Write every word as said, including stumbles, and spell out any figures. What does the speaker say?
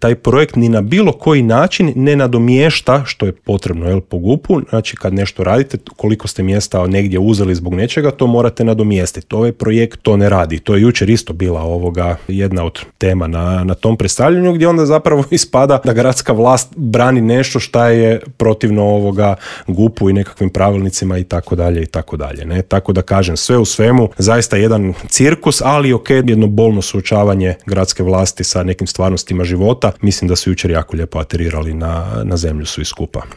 taj projekt ni na bilo koji način ne nadomješta što je potrebno, jel, po G U P-u. Znači kad nešto radite, koliko ste mjesta negdje uzeli zbog nečega, to morate nadomjestiti. Ovaj projekt to ne radi. To je jučer isto bila ovoga jedna od tema na, na tom predstavljanju, gdje onda zapravo ispada da gradska vlast brani nešto šta je protivno ovoga G U P-u i nekakvim pravilnicima i tako dalje i tako dalje. Ne? Tako da kažem, sve u svemu, zaista jedan cirkus, ali ok, jedno bolno suočavanje gradske vlasti sa nekim stvarnostima života. Mislim da su jučer jako lijepo aterirali na, na zemlju svi skupa.